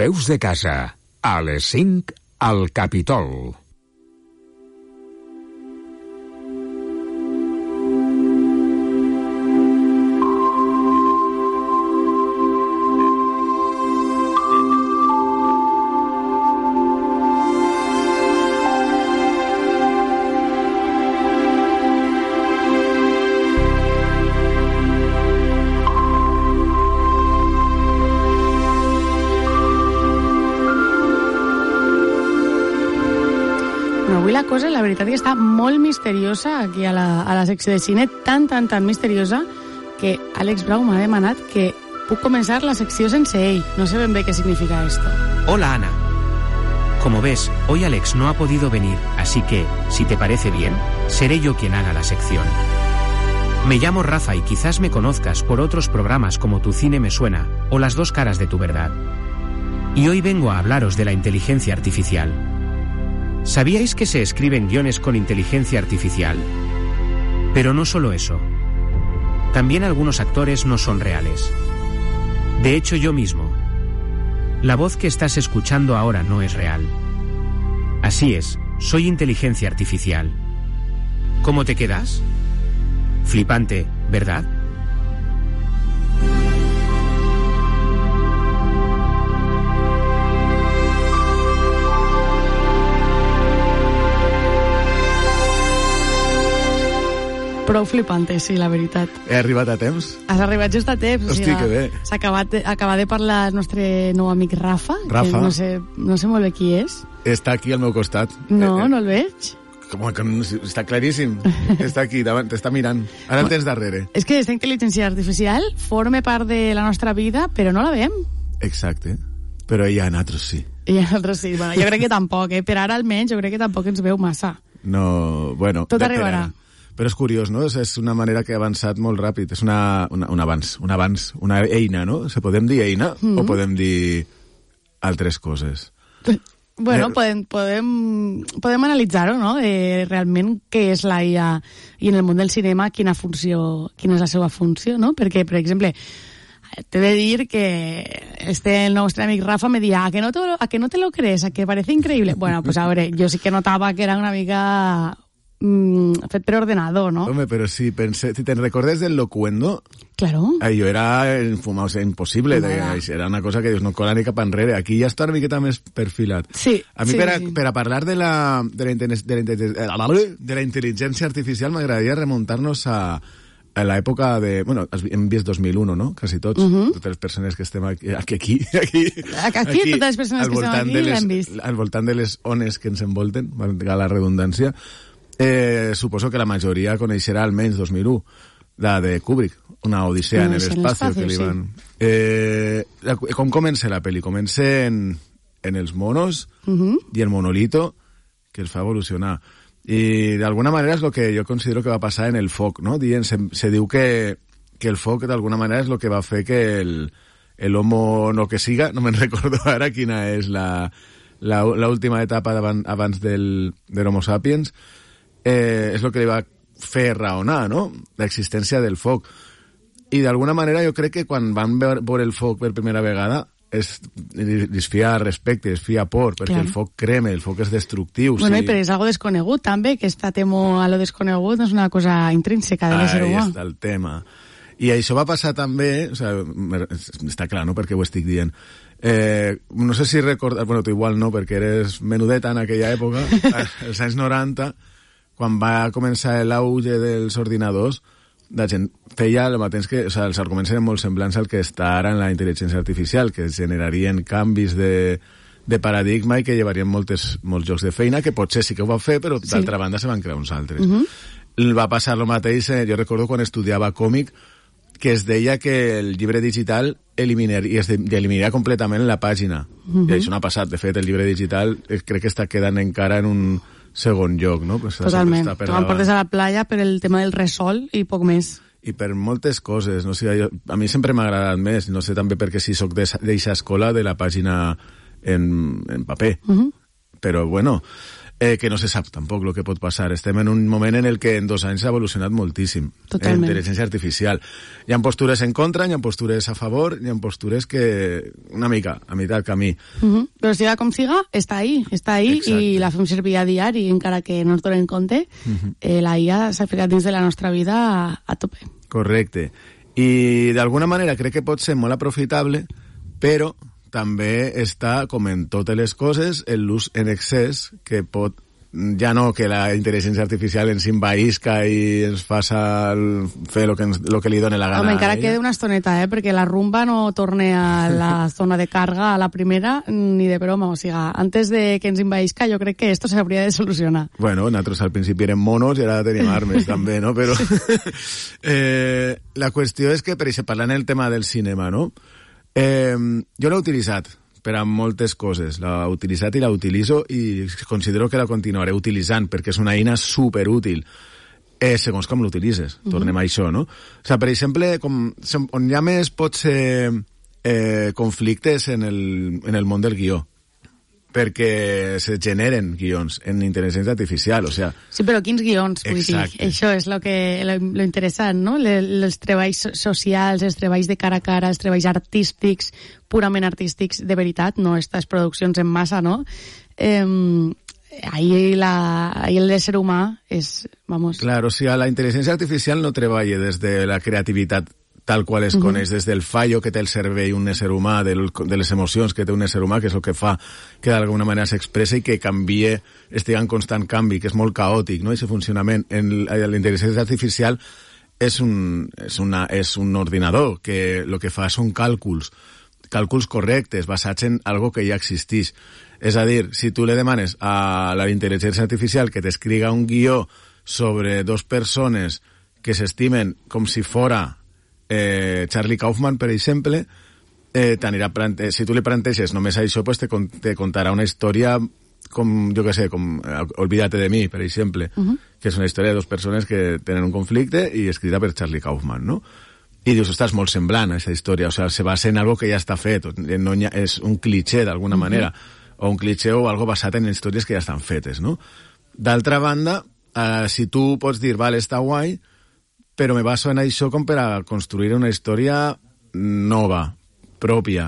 Veus de casa, a les 5, al Capitol. La veritat que està molt misteriosa aquí a la secció de cine, tan misteriosa que Àlex Brau m'ha demanat que puc començar la secció sense ell. No sé ben bé qué significa esto. Hola, Ana. Como ves, hoy Alex no ha podido venir, así que, si te parece bien, seré yo quien haga la sección. Me llamo Rafa y quizás me conozcas por otros programas como Tu Cine Me Suena o Las Dos Caras de Tu Verdad. Y hoy vengo a hablaros de la inteligencia artificial. ¿Sabíais que se escriben guiones con inteligencia artificial? Pero no solo eso. También algunos actores no son reales. De hecho, yo mismo. La voz que estás escuchando ahora no es real. Así es, soy inteligencia artificial. ¿Cómo te quedas? Flipante, ¿verdad? Prou flipante, sí, la veritat. He arribat a temps? Has arribat just a temps. Hosti, que bé. Acaba de parlar el nostre nou amic Rafa. Rafa. Que no sé molt bé qui és. Està aquí al meu costat. No el veig. Com que no, està claríssim. Està aquí, davant, t'està mirant. Ara el tens darrere. És que aquesta intel·ligència artificial forma part de la nostra vida, però no la veiem. Exacte. Però hi ha altres sí. I altres sí. Bueno, jo crec que tampoc, Per ara almenys, jo crec que tampoc ens veu massa. No, bueno... Tot arribarà. Però és curiós, no? És una manera que ha avançat molt ràpid. És un avanç, una eina, no? Se podem dir eina o podem dir altres coses? Bueno, podem analitzar-ho, no? Realment què és la IA i en el món del cinema quina és la seva funció, no? Perquè, per exemple, t'he de dir que el nostre amic Rafa me deia ¿a que no te lo crees? ¿A que parece increíble? Bueno, pues a ver, yo sí que notaba que era una mica... fet per ordenador, ¿no? Home, però si te'n recordes del Locuendo, claro. Allò era infumable, o sea, impossible, era una cosa que dius, no cola ni cap enrere. Aquí ja està una miqueta més perfilat. Sí. A mi, per a parlar de la intel·ligència artificial, m'agradaria remuntar-nos a l'època de... Bueno, hem vist 2001, no? Quasi tots. Totes les persones que estem aquí totes les persones que estem aquí l'hem vist. Al voltant de les ones que ens envolten, valga la redundància. Suposo que la majoria coneixerà almenys 2001, la de Kubrick, una odissea en l'espaci que li van... Com comença la pel·li? Comença en els monos i el monolito que els fa evolucionar. I d'alguna manera és el que jo considero que va passar en el foc, no? Se diu que el foc d'alguna manera és el que va fer que l'homo no que siga, no me'n recordo ara quina és l'última etapa abans del Homo sapiens, és el que li va fer raonar, no? L'existència del foc. I d'alguna manera jo crec que quan van veure el foc per primera vegada es fia respecte, es fia por, perquè el foc crema, el foc és destructiu. Bueno, però és algo desconegut també, que esta temo a lo desconegut no és una cosa intrínseca de l'ésser humà. Ahí està el tema. I això va passar també, o sea, està clar, no?, perquè ho estic dient. No sé si recordes, bueno, tu igual no, perquè eres menudeta en aquella època, als anys 90, quan va començar l'auge dels ordinadors, la gent feia el mateix que... O sigui, els arguments eren molt semblants al que està ara en la intel·ligència artificial, que generarien canvis de paradigma i que llevarien molts llocs de feina, que potser sí que ho va fer, però d'altra banda se van crear uns altres. Va passar el mateix, jo recordo quan estudiava còmic, que es deia que el llibre digital eliminaria completament la pàgina. I això no ha passat. De fet, el llibre digital crec que està quedant encara en un segon lloc, no? Pues totalment. Tu me'n portes a la playa per el tema del resol i poc més. I per moltes coses, no sé, a mi sempre m'ha agradat més, no sé, també perquè si soc d'eixa escola de la pàgina en paper. Però, bueno, que no se sap tampoc el que pot passar. Estem en un moment en el que en 2 anys s'ha evolucionat moltíssim. Totalment. Intel·ligència artificial. Hi ha postures en contra, hi ha postures a favor, hi ha postures que una mica a meitat camí. Però siga com siga, està ahí. Exacte. I la fem servir a diari, encara que no ens donem compte, la IA s'ha ficat dins de la nostra vida a tope. Correcte. I d'alguna manera crec que pot ser molt aprofitable, però també està, com en totes les coses, l'ús en excés, que pot, ja no que la intel·ligència artificial ens envaïsca i ens faça fer lo que li doni la gana. Home, encara queda una estoneta, perquè la rumba no torne a la zona de carga a la primera ni de broma, o sigui, antes de que ens envaïsca jo crec que esto s'hauria de solucionar. Bueno, nosaltres al principi érem monos i ara tenim armes també, no? Però la qüestió és que, per exemple, parlant del tema del cinema, no? Jo l'he utilitzat per a moltes coses, l'he utilitzat i la utilitzo i considero que la continuaré utilitzant perquè és una eina superútil segons com l'utilitzes. Tornem a això, no? O sigui, per exemple, on hi ha més pot ser conflictes en el món del guió, perquè se generen guions en intel·ligència artificial, o sea... Sí, però quins guions, vull dir? Això és lo interessant, no? Els treballs socials, els treballs de cara a cara, els treballs artístics, purament artístics, de veritat, no estas produccions en massa, no? Ahí l'ésser humà és... Vamos... Claro, o sigui, la intel·ligència artificial no treballa des de la creativitat tal qual es coneix, des del fallo que té el cervell un ésser humà, de les emocions que té un ésser humà, que és el que fa que d'alguna manera s'expressa i que canvie, estigui en constant canvi, que és molt caòtic, no?, aquest funcionament. La intel·ligència artificial és un ordinador que el que fa són càlculs correctes, basats en algo que ja existeix. És a dir, si tu le demanes a la intel·ligència artificial que t'escriga un guió sobre 2 persones que s'estimen com si fora Charlie Kaufman, per exemple, si tu li planteges només això, pues te contarà una història com, jo què sé, com Olvídate de mi, per exemple, que és una història de 2 persones que tenen un conflicte i escrita per Charlie Kaufman, no? I dius, ostres, molt semblant a aquesta història, o sigui, se basa en algo que ja està fet, no és un cliché d'alguna manera, o un cliché o algo basat en històries que ja estan fetes, no? D'altra banda, si tu pots dir, vale, està guai, però me baso en això com per a construir una història nova, pròpia.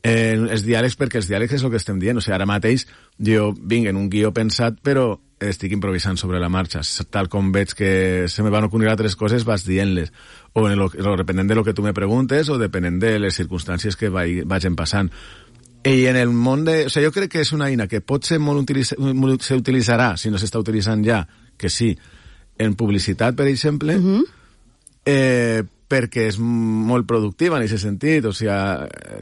Els diàlegs, perquè els diàlegs és el que estem dient. O sigui, ara mateix jo vinc en un guió pensat, però estic improvisant sobre la marxa. Tal com veig que se me van ocorrir altres coses, vas dient-les. O depenent de lo que tu me preguntes o depenent de les circumstàncies que vagin passant. I en el món de... O sigui, jo crec que és una eina que pot ser s'utilitzarà, si no s'està utilitzant ja, que sí, en publicitat, per exemple, perquè és molt productiva en aquest sentit, o sigui,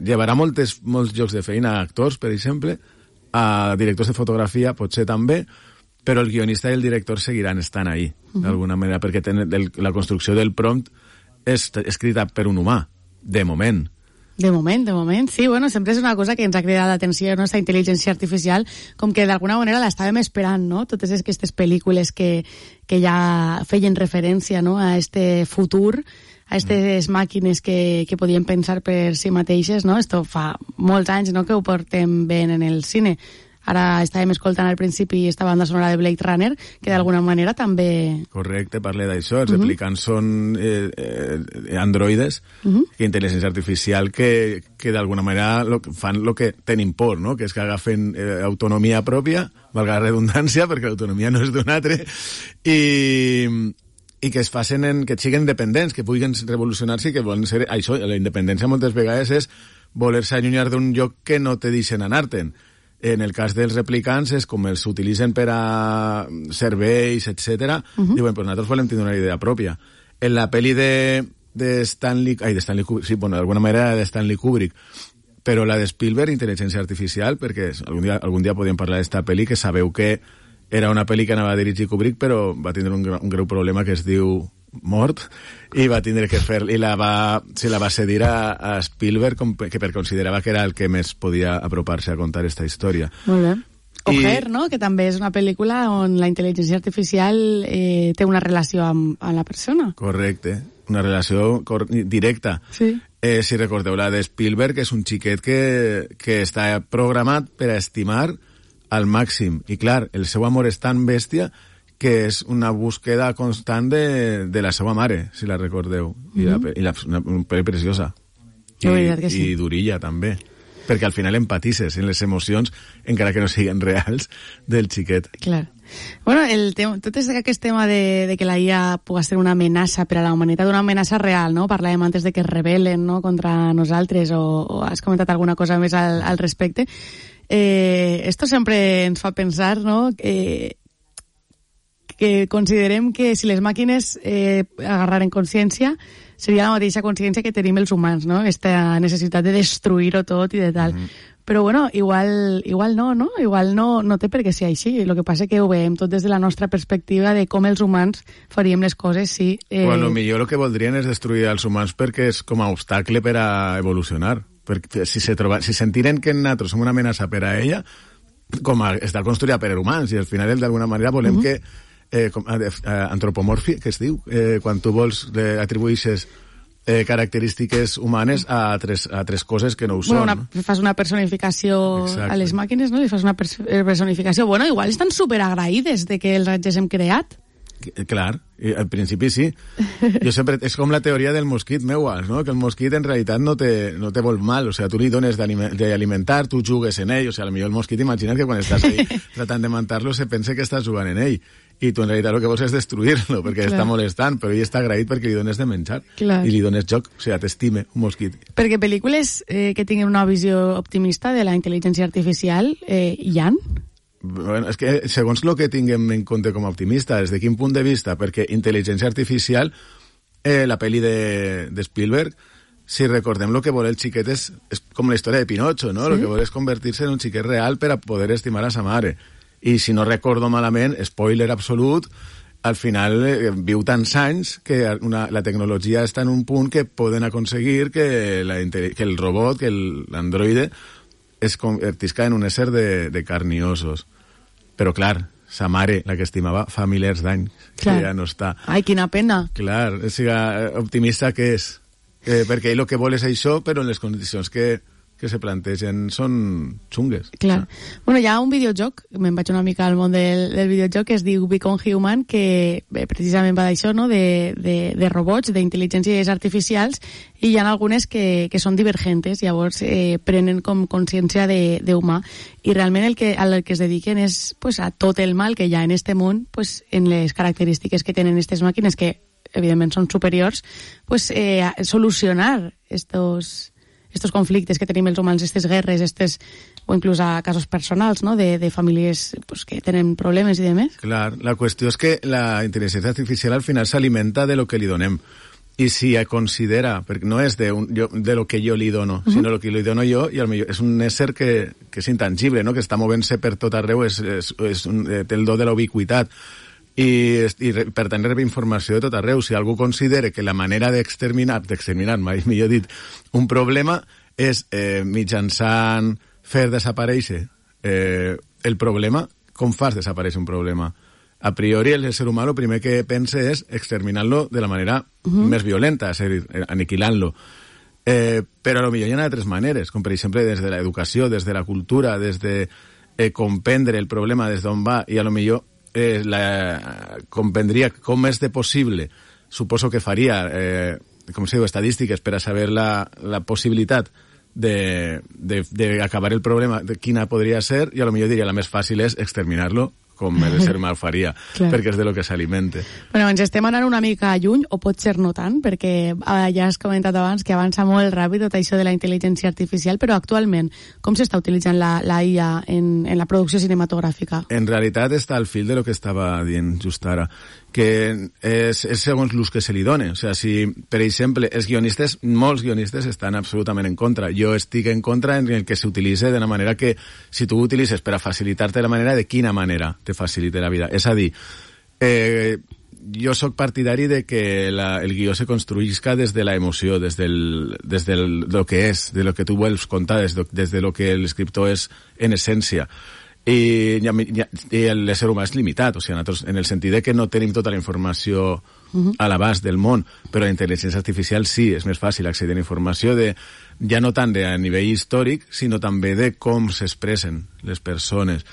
llevarà molts llocs de feina a actors, per exemple, a directors de fotografia, potser també, però el guionista i el director seguiran estant ahí, d'alguna manera, perquè la construcció del prompt és escrita per un humà, de moment. De moment, sí, bueno, sempre és una cosa que ens ha cridat l'atenció, no?, aquesta intel·ligència artificial, com que d'alguna manera l'estàvem esperant, no?, totes aquestes pel·lícules que ja feien referència, no?, a este futur, a aquestes màquines que podien pensar per si mateixes, no?, esto fa molts anys, no?, que ho portem ben en el cine. Ara estàvem escoltant al principi esta banda sonora de Blade Runner, que d'alguna manera també... Correcte, parle d'això. Els replicants són androides, que intel·ligència artificial que d'alguna manera fan el que tenen por, no?, que és que agafen autonomia pròpia, valga la redundància, perquè l'autonomia no és d'un altre, i que es facin que siguin independents, que puguin revolucionar-se i que volen ser... Això, la independència moltes vegades és voler-se allunyar d'un lloc que no te deixen anar-te'n. En el cas dels replicants és com els utilitzen per a serveis, etc. Diuen, pues nosaltres volem tenir una idea pròpia. En la pel·li de Stanley Kubrick, sí, bueno, d'alguna manera de Stanley Kubrick, però la de Spielberg, Intel·ligència Artificial, perquè algun dia podíem parlar d'esta pel·li, que sabeu que era una pel·li que anava a dirigir Kubrick, però va tindre un greu problema que es diu mort, i va tindre que fer, i se la va cedir a Spielberg perquè considerava que era el que més podia apropar-se a contar esta història. Molt bé. O Her, no?, que també és una pel·lícula on la intel·ligència artificial té una relació amb la persona. Correcte, una relació directa. Sí. Si recordeu la de Spielberg, és un xiquet que està programat per a estimar al màxim. I clar, el seu amor és tan bèstia que és una búsqueda constant de la seva mare, si la recordeu. Una pel·li preciosa. I durilla, també. Perquè al final empatisses en les emocions, encara que no siguin reals, del xiquet. Clar. Bueno, tot aquest tema de que la IA pugui ser una amenaça per a la humanitat, una amenaça real, no? Parlàvem antes de que es rebel·len, no?, contra nosaltres, o has comentat alguna cosa més al respecte. Esto sempre ens fa pensar, no?, que considerem que si les màquines agarraren consciència, seria la mateixa consciència que tenim els humans, no? Esta necessitat de destruir-ho tot i de tal. Però, bueno, igual no, no? Igual no té per què ser així. El que passa que ho veiem tot des de la nostra perspectiva de com els humans faríem les coses, sí. Bueno, millor el que voldrien és destruir els humans perquè és com a obstacle per a evolucionar. Perquè si sentiren que nosaltres som una amenaça per a ella, com a estar construïda per humans, i al final d'alguna manera volem que antropomorfi, que es diu, quan tu vols atribueixes característiques humanes a tres coses que no ho són. Bueno, fas una personificació a les màquines, no? Li fas una personificació. Bueno, igual estan superagraïdes de que els haguéssim creat. Clar, al principi sí. Jo sempre, és com la teoria del mosquit meua, no? Que el mosquit en realitat no te vol mal, o sea, tu li dones d'alimentar, tu jugues en ell, o sea, potser el mosquit, imagina't que quan estàs ahí tratant de matar-lo se pensa que estàs jugant en ell, i tu en realitat el que vols és destruir-lo, perquè està molestant, però ell està agraït perquè li dones de menjar, i li dones joc, o sea, t'estime un mosquit. Perquè pel·lícules que tinguin una visió optimista de la intel·ligència artificial hi ha? Bueno, és que segons el que tinguem en compte com a optimista, des de quin punt de vista, perquè intel·ligència artificial, la pel·li de Spielberg, si recordem el que vol el xiquet és com la història de Pinocho, no? El que vol és convertir-se en un xiquet real per a poder estimar a sa mare. I si no recordo malament, spoiler absolut, al final viu tants anys que la tecnologia està en un punt que poden aconseguir que el robot, que l'androide, es convertisca en un ésser de carn i ossos. Però, clar, sa mare, la que estimava, fa milers d'anys, que ja no està. Ai, quina pena. Clar, optimista que és. Perquè ell el que vol és això, però en les condicions que se plantegen són xungues. Clar. Bueno, hi ha un videojoc, me'n vaig una mica al món del videojoc, que es diu Become Human, que precisament va d'això, no?, de robots, d'intel·ligències artificials, i hi ha algunes que són divergentes, llavors prenen com consciència d'humà, i realment el que es dediquen és pues, a tot el mal que hi ha en este món, pues, en les característiques que tenen aquestes màquines, que evidentment són superiors, pues, solucionar estos conflictes que tenim els humans, aquestes guerres, o inclús a casos personals, no?, de famílies pues, que tenen problemes i demés. Clar, la qüestió és que la intel·ligència artificial al final s'alimenta de lo que li donem. I si considera, perquè no és de lo que jo li dono, sinó lo que li dono jo, i potser és un ésser que és intangible, no?, que està movent-se per tot arreu, té el do de la ubiquitat, i per tant rep informació de tot arreu. Si algú considera que la manera d'exterminar, mai millor dit, un problema és mitjançant fer desaparèixer el problema, com fas desaparèixer un problema? A priori el ser humà el primer que pensa és exterminar-lo de la manera més violenta, és a dir, aniquilant-lo. Però potser hi ha altres maneres, com per exemple des de l'educació, des de la cultura, des de comprendre el problema des d'on va, i potser comprendria com és de possible, suposo que faria com se diu, estadístiques per a saber la possibilitat d'acabar el problema, de quina podria ser, i potser diria la més fàcil és exterminar-lo, com el ser humà faria, perquè és de lo que s'alimenta. Bueno, ens estem anant una mica lluny, o pot ser no tant, perquè ja has comentat abans que avança molt ràpid tot això de la intel·ligència artificial, però actualment, com s'està utilitzant la IA en la producció cinematogràfica? En realitat està al fil de lo que estava dient just ara, que és segons l'ús que se li dona. O sigui, si, per exemple, molts guionistes estan absolutament en contra. Jo estic en contra en el que s'utilitza de la manera que, si tu ho utilitzes per a facilitar-te la manera, de quina manera te facilita la vida. És a dir, jo sóc partidari de que el guió se construïsca des de la emoció, des de lo que és, de lo que tu vols contar, des de lo que l'escriptor és en essència. I l'ésser humà és limitat, o sigui, nosaltres, en el sentit de que no tenim tota la informació a l'abast del món, però la intel·ligència artificial sí, és més fàcil accedir a informació ja no tant a nivell històric, sinó també de com s'expressen les persones.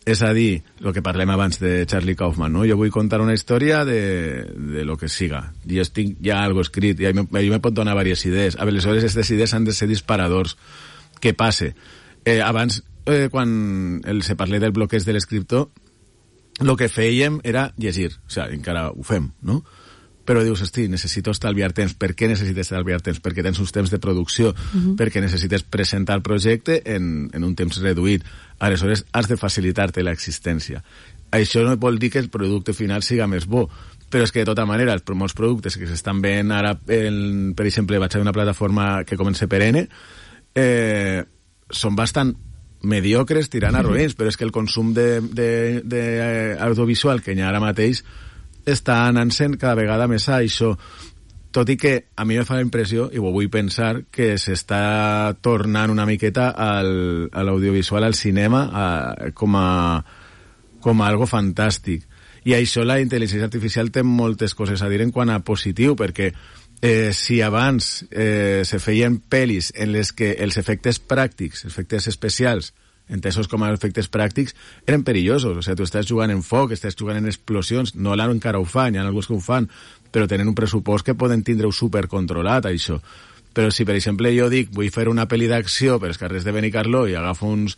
És a dir, el que parlem abans de Charlie Kaufman, no? Jo vull contar una història de lo que siga. I estic ja algo escrit, i jo me pot donar diverses idees. Aleshores, aquestes idees han de ser disparadors. Què passa? Abans, quan se parla del bloqueig de l'escriptor, el que fèiem era llegir. O sigui, encara ho fem, no? Però dius, hosti, necessito estalviar temps. Per què necessites estalviar temps? Perquè tens uns temps de producció, perquè necessites presentar el projecte en un temps reduït. Aleshores, has de facilitar-te l'existència. Això no vol dir que el producte final siga més bo, però és que de tota manera els molts productes que s'estan veient ara, per exemple, vaig a una plataforma que comença per N, són bastant mediocres tirant a roïns, però és que el consum d'audiovisual que hi ha ara mateix està anant-se'n cada vegada més a això, tot i que a mi me fa la impressió, i ho vull pensar, que s'està tornant una miqueta a l'audiovisual, al cinema, com a algo fantàstic. I això la intel·ligència artificial té moltes coses a dir en quant a positiu, perquè si abans se feien pel·lis en les que els efectes pràctics, efectes especials, entesos com a efectes pràctics, eren perillosos. O sigui, tu estàs jugant en foc, estàs jugant en explosions, no encara ho fan, hi ha alguns que ho fan, però tenen un pressupost que poden tindre-ho supercontrolat, això. Però si, per exemple, jo dic, vull fer una pel·li d'acció per els carrers de Benicarló i agafo uns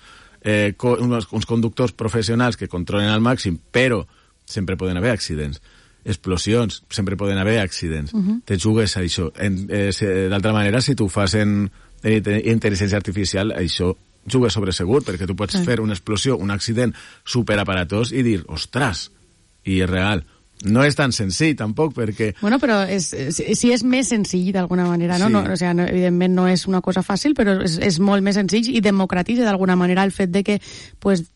conductors professionals que controlen al màxim, però sempre poden haver accidents. Explosions, sempre poden haver accidents. Te jugues a això. D'altra manera, si tu fas en intel·ligència artificial, això jugues sobre segur, perquè tu pots fer una explosió, un accident superaparatós i dir, ostres, i és real. No és tan senzill, tampoc, perquè... Bueno, però sí és més senzill, d'alguna manera, no? Sí. O sigui, evidentment no és una cosa fàcil, però és molt més senzill i democratitza, d'alguna manera, el fet de que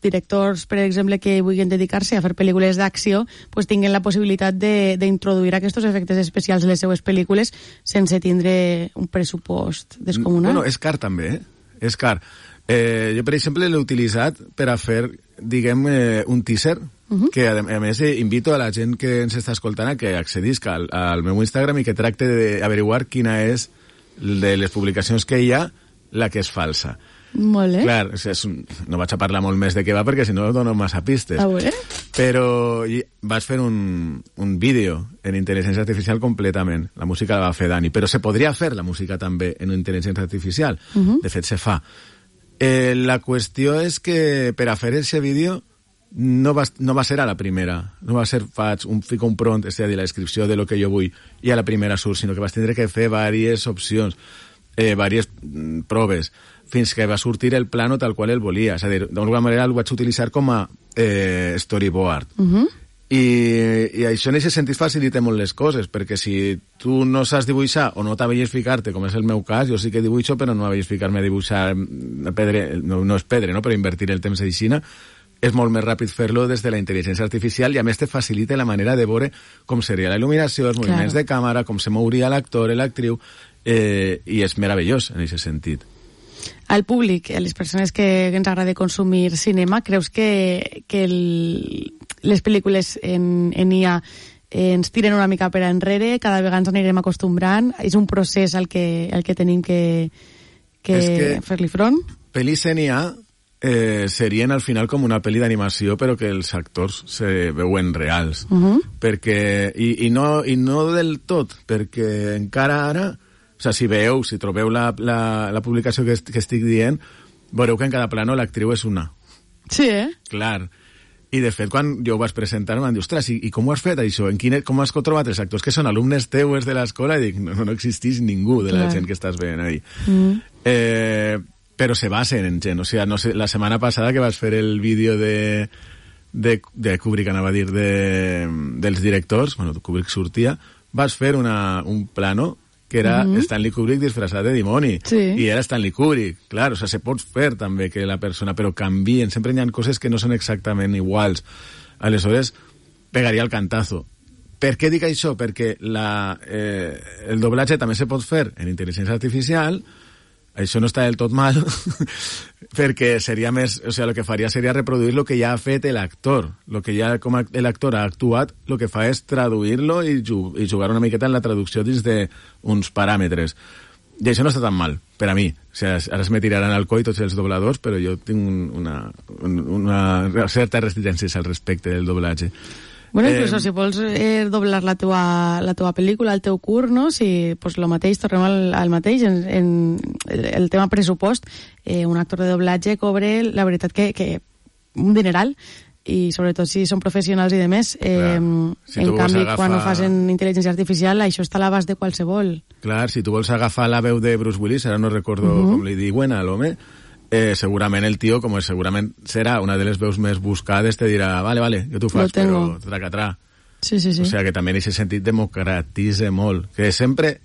directors, per exemple, que vulguin dedicar-se a fer pel·lícules d'acció, tinguin la possibilitat d'introduir aquests efectes especials en les seues pel·lícules sense tindre un pressupost descomunal. Bueno, és car, també, És car. Jo, per exemple, l'he utilitzat per a fer, diguem, un teaser, que a més invito a la gent que ens està escoltant a que accedisca al meu Instagram i que tracte d'averiguar quina és de les publicacions que hi ha la que és falsa. Molt bé. Clar, no vaig a parlar molt més de què va perquè si no dono massa pistes. Però vaig fer un vídeo en intel·ligència artificial completament. La música la va fer Dani, però se podria fer la música també en intel·ligència artificial. De fet, se fa. La qüestió és que per a fer aquest vídeo no va ser a la primera, no va ser fico un prompt, és a dir, la descripció de lo que jo vull, i a la primera surt, sinó que vas tindre que fer diverses opcions, diverses proves, fins que va sortir el plano tal qual el volia. És a dir, d'alguna manera el vaig utilitzar com a storyboard. I això en aquest sentit facilita molt les coses, perquè si tu no saps dibuixar o no t'avelles ficar-te, com és el meu cas, jo sí que dibuixo, però no m'avelles ficar-me a dibuixar pedre, no és pedre, no? Però invertir el temps aixina, és molt més ràpid fer-lo des de la intel·ligència artificial i a més te facilita la manera de veure com seria la il·luminació, els moviments de càmera, com se mouria l'actor, l'actriu, i és meravellós en aquest sentit. Al públic, a les persones que ens agrada consumir cinema, creus que les pel·lícules en IA ens tiren una mica per enrere, cada vegada ens anirem acostumbrant, és un procés al que tenim que fer-li front? Pel·lis en IA serien al final com una pel·li d'animació però que els actors se veuen reals perquè, i no del tot, perquè encara ara, o sigui, si trobeu la publicació que estic dient, veureu que en cada plano l'actriu és una. Sí, Clar. I de fet, quan jo ho vaig presentar m'han dit, ostres, i com ho has fet això? Com has trobat els actors que són alumnes teues de l'escola? I dic, no existeix ningú de la gent que estàs veient ahí. Però se basen en gent. O sigui, no sé, la setmana passada que vas fer el vídeo de Kubrick, anava a dir, dels directors, bueno, Kubrick sortia, vas fer un plano que era Stanley Kubrick disfressat de dimoni. I era Stanley Kubrick. Clar, o sigui, se pot fer també que la persona, però canvien, sempre hi ha coses que no són exactament iguals. Aleshores, pegaria el cantazo. Per què dic això? Perquè el doblatge també se pot fer en intel·ligència artificial. Això no està del tot mal, perquè seria més, o sigui, el que faria seria reproduir el que ja ha fet l'actor. El que ja, com l'actor ha actuat, el que fa és traduir-lo i jugar una miqueta en la traducció dins d'uns paràmetres. I això no està tan mal, per a mi. O sigui, ara es me tiraran al coll tots els dobladors, però jo tinc una certa resistència al respecte del doblatge. Bueno, incluso si vols doblar la teua pel·lícula, el teu curt, no? Si, pues, lo mateix, tornem al mateix, en el tema pressupost, un actor de doblatge cobre, la veritat que un dineral, i sobretot si són professionals i de més. Si en canvi, quan ho fas en intel·ligència artificial, això està a l'abast de qualsevol. Clar, si tu vols agafar la veu de Bruce Willis, ara no recordo com li diuen a l'home, segurament el tio, com segurament serà una de les veus més buscades, te dirà, vale, jo t'ho faig, però tracatrà. Sí. O sigui que també en aquest sentit democratitza molt. Que sempre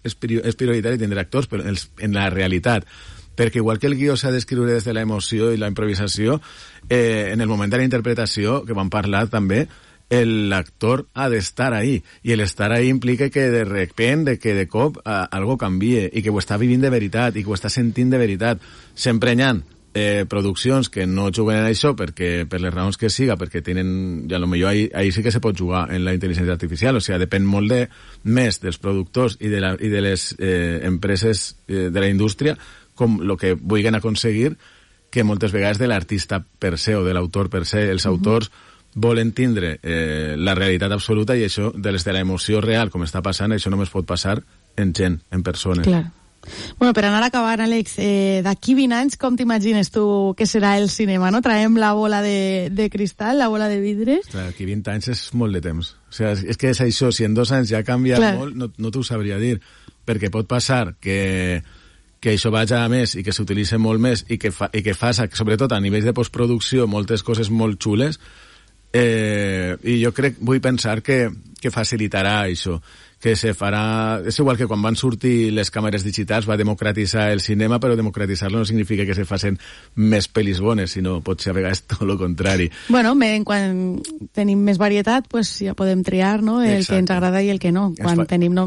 és prioritari tindre actors, però en la realitat, perquè igual que el guió s'ha d'escriure des de la emoció i la improvisació, en el moment de la interpretació, que vam parlar també, l'actor ha d'estar ahí, i l'estar ahí implica que de repente, que de cop algo canvie, i que ho està vivint de veritat, i que ho està sentint de veritat. Sempre hi ha produccions que no juguen en això perquè, per les raons que siga, perquè tenen, ja potser ahí sí que se pot jugar en la intel·ligència artificial, o sigui, depèn molt més dels productors i de les empreses de la indústria, com el que vulguin aconseguir, que moltes vegades de l'artista per se o de l'autor per se. Els autors volen tindre la realitat absoluta, i això, de l'emoció real, com està passant, això només pot passar en gent, en persones. Clar. Bueno, per anar acabant, Àlex, d'aquí 20 anys, com t'imagines tu que serà el cinema, no? Traiem la bola de cristal, la bola de vidre. D'aquí 20 anys és molt de temps. O sigui, és que és això, si en 2 anys ja ha canviat molt, no t'ho sabria dir, perquè pot passar que això vagi a més i que s'utilitzi molt més i que faça, sobretot a nivell de postproducció, moltes coses molt xules, i jo vull pensar que facilitarà això, que se farà... És igual que quan van sortir les càmeres digitals va democratitzar el cinema, però democratitzar-lo no significa que se facin més pel·lis bones, sinó pot ser a vegades tot el contrari. Bueno, quan tenim més varietat, pues ja podem triar, no?, el que ens agrada i el que no.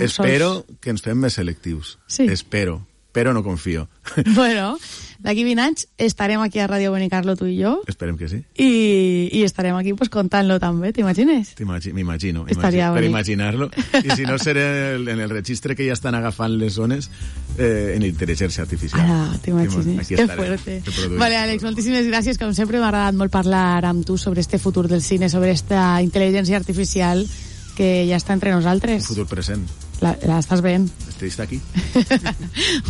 Espero que ens fem més selectius. Sí. Espero, però no confio. Bueno, d'aquí 20 anys estarem aquí a Ràdio Benicarló, tu i jo. Esperem que sí. I estarem aquí pues contant-lo també, t'imagines? M'imagino. Estaria per bonic. Imaginar-lo. I si no, seré en el registre que ja estan agafant les zones en intel·ligència artificial. Ara, t'imagines? Que fuerte. Vale, Àlex, moltíssimes gràcies. Com sempre m'ha agradat molt parlar amb tu sobre este futur del cine, sobre esta intel·ligència artificial que ja està entre nosaltres. Un futur present. L'estàs veient. Està aquí.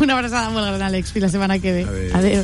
Una abraçada molt gran, Àlex. Fins la setmana que ve. Adéu.